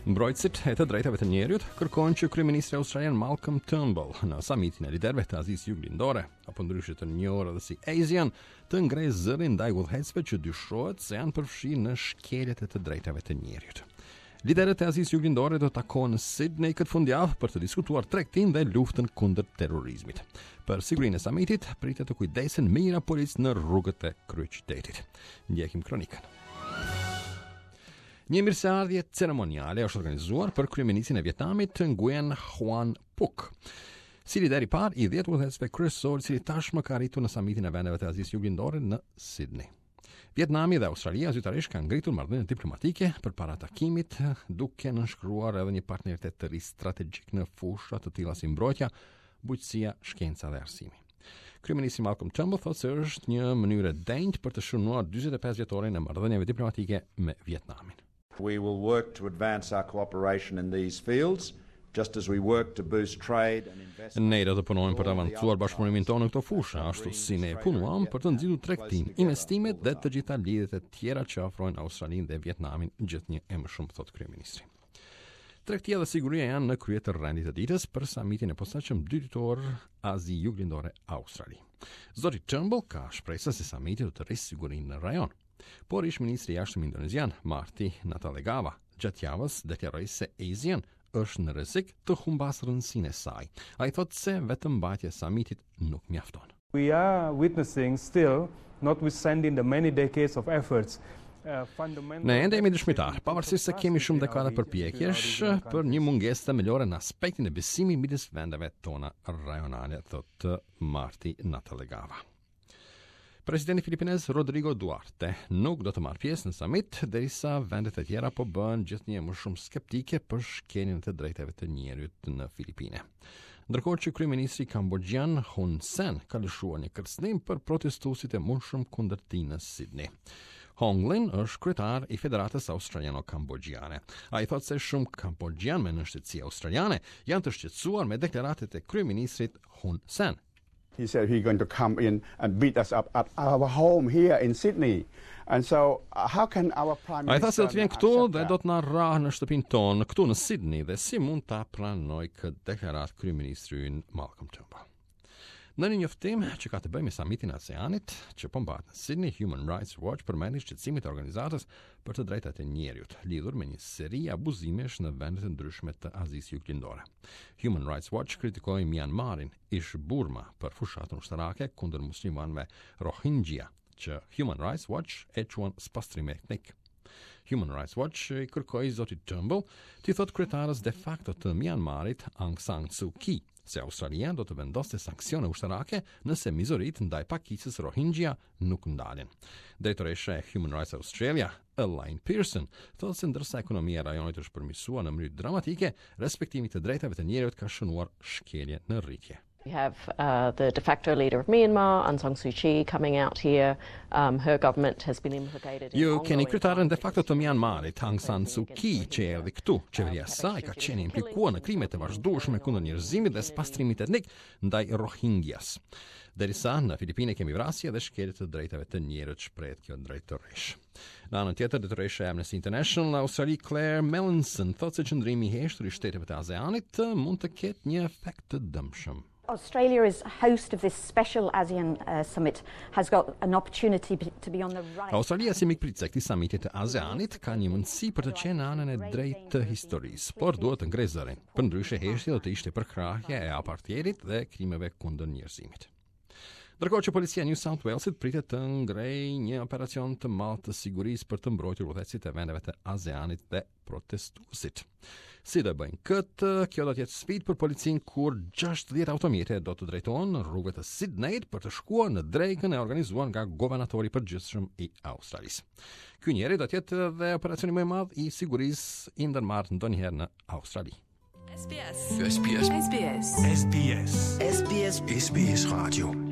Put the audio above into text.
Mbrojtësit e të drejtave të njeriut kërkojnë që kryeministri australian Malcolm Turnbull në samitin e liderëve të Azisë Juglindore, apo ndryshe të njohur edhe si ASEAN, të ngrejë zërin ndaj udhëheqësve që dyshohet se janë përfshirë në shkeljet e të drejtave të njeriut. Liderët e Azisë Juglindore do të takohen në Sydney këtë fundjavë për të diskutuar tregtinë dhe luftën kundër terrorizmit. Për sigurinë e samitit pritet të kujdesen mijëra policë në rrugët e kryeqytetit. Ndjekim kronikën. Një mirëseardhje ceremoniale është organizuar për kryeministrin e Vietnamit Nguyen Xuan Phuc. Si lider i parë i 10 udhëheqësve kryesorë, i cili tashmë ka arritur në samitin e vendeve të Azisë Juglindore në Sydney. Vietnami dhe Australia zyrtarisht kanë ngritur marrëdhënie diplomatike përpara takimit, duke nënshkruar edhe një partneritet të ri strategjik në fusha të tilla si mbrojtja, bujqësia, shkenca dhe arsimi. Kryeministri Malcolm Turnbull thotë se është një mënyrë e denjë për të shënuar 45 vjetorin e marrëdhënieve diplomatike me Vietnamin. We will work to advance our cooperation in these fields just as we work to boost trade and investment. Ne do të punojmë për të avancuar bashkëpunimin tonë në këto fusha, ashtu si ne punuam për të nxitur tregtinë, investimet dhe të gjitha lidhjet e tjera që afrojnë Australinë dhe Vietnamin gjithnjë e më shumë, thotë kryeministri. Tregtia dhe siguria janë në krye të rendit të ditës për samitin e posaçëm dyditor Azi Juglindore Australi. Zoti Turnbull ka shpresa se samiti do të rrisë sigurinë në rajon. Por ish ministri i jashtëm indonezian Marty Natalegawa gjatë javës deklaroi se ASEAN është në rrezik të humbasë rëndësinë e saj. Ai thotë se vetëm mbajtja e samitit nuk mjafton. We are witnessing still, notwithstanding the many decades of efforts, Ne ende jemi dëshmitar, pavarësisht se kemi shumë dekada përpjekjesh për një mungesë themelore në aspektin e besimit midis vendeve tona rajonale, thotë Marty Natalegawa. Presidenti filipinez Rodrigo Duterte nuk do të marrë pjesë në samit derisa vendet e tjera po bëhen gjithnjë më shumë skeptike për shkeljen e të drejtave të njeriut në Filipine. Ndërkohë që kryeministri kamboxhian Hun Sen ka lëshuar një kërcënim për protestuesit e mundshëm kundër tij në Sydney. Hong Lin është kryetar i Federatës Australiano-Kamboxhiane. Ai thotë se shumë kamboxhianë me nënshtetësi australiane janë të shqetësuar me deklaratat e kryeministrit Hun Sen. He said he's going to come in and beat us up at our home here in Sydney. And so uh, how can our prime minister Ai tha se do të vjen këtu dhe do të na rrahë në shtëpinë tonë këtu në Sydney dhe si mund ta pranojë këtë deklaratë kryeministri ynë Malcolm Turnbull. Në një njoftim që ka të bëjë me samitin e ASEANit, që po mbahet në Sydney, Human Rights Watch përmendi shqetësimet e organizatës për të drejtat e njeriut, lidhur me një seri abuzimesh në vende të ndryshme të Azisë Juglindore. Human Rights Watch kritikoi Myanmarin, ish Burma për fushatën ushtarake kundër muslimanëve Rohingya, që Human Rights Watch e quan spastrim etnik. Human Rights Watch i kërkoi zotit Turnbull t'i thotë kryetares de facto të Myanmarit Aung San Suu Kyi se Australia do të vendoste sanksione ushtarake nëse mizoritë ndaj pakicës Rohingya nuk ndalen. Drejtoresha e Human Rights Australia, Elaine Pearson, thotë se ndërsa ekonomia e rajonit është përmirësuar në mënyrë dramatike, respektimi i të drejtave të njeriut ka shënuar shkelje në rritje. We have uh, the de facto leader of Myanmar, Aung San Suu Kyi, coming out here. Um, her government has been implicated in Ju keni kryetaren de facto të Myanmarit, Aung San Suu Kyi, që erdhi këtu. Qeveria e saj ka qenë implikuar në krime të vazhdueshme kundër njerëzimit dhe spastrimit etnik ndaj Rohingyas. Derisa në Filipine kemi vrasje dhe shkelje të drejtave të njeriut, shprehet kjo drejtoreshë. Në anën tjetër, drejtoresha e Amnesty International në Australi, Claire Melanson, thotë se qëndrimi i heshtur i shteteve të ASEANit mund të ketë një efekt të dëmshëm. Australia as host of this special ASEAN uh, summit has got an opportunity to be on the right. Australia si mikpritëse e këtij samiti të ASEANit ka një mundësi për të qenë në anën e drejtë të historisë, por duhet të ngrejë zërin. Përndryshe heshtja do të ishte përkrahja e apartheidit dhe krimeve kundër njerëzimit. Ndërkohë që policia e New South Walesit pritet të ngrejë një operacion të madh të sigurisë për të mbrojtur udhëheqësit e vendeve të ASEANit dhe protestuesit. Si do e bëjnë këtë? Kjo do të jetë sfidë për policinë kur 60 automjete do të drejtohen në rrugët e Sydneyt për të shkuar në drekën e organizuar nga guvernatori i përgjithshëm i Australisë. Ky njeri do të jetë edhe operacioni më i madh i sigurisë i ndërmarrë ndonjëherë në Australi. SBS. SBS. SBS. SBS. SBS. SBS Radio.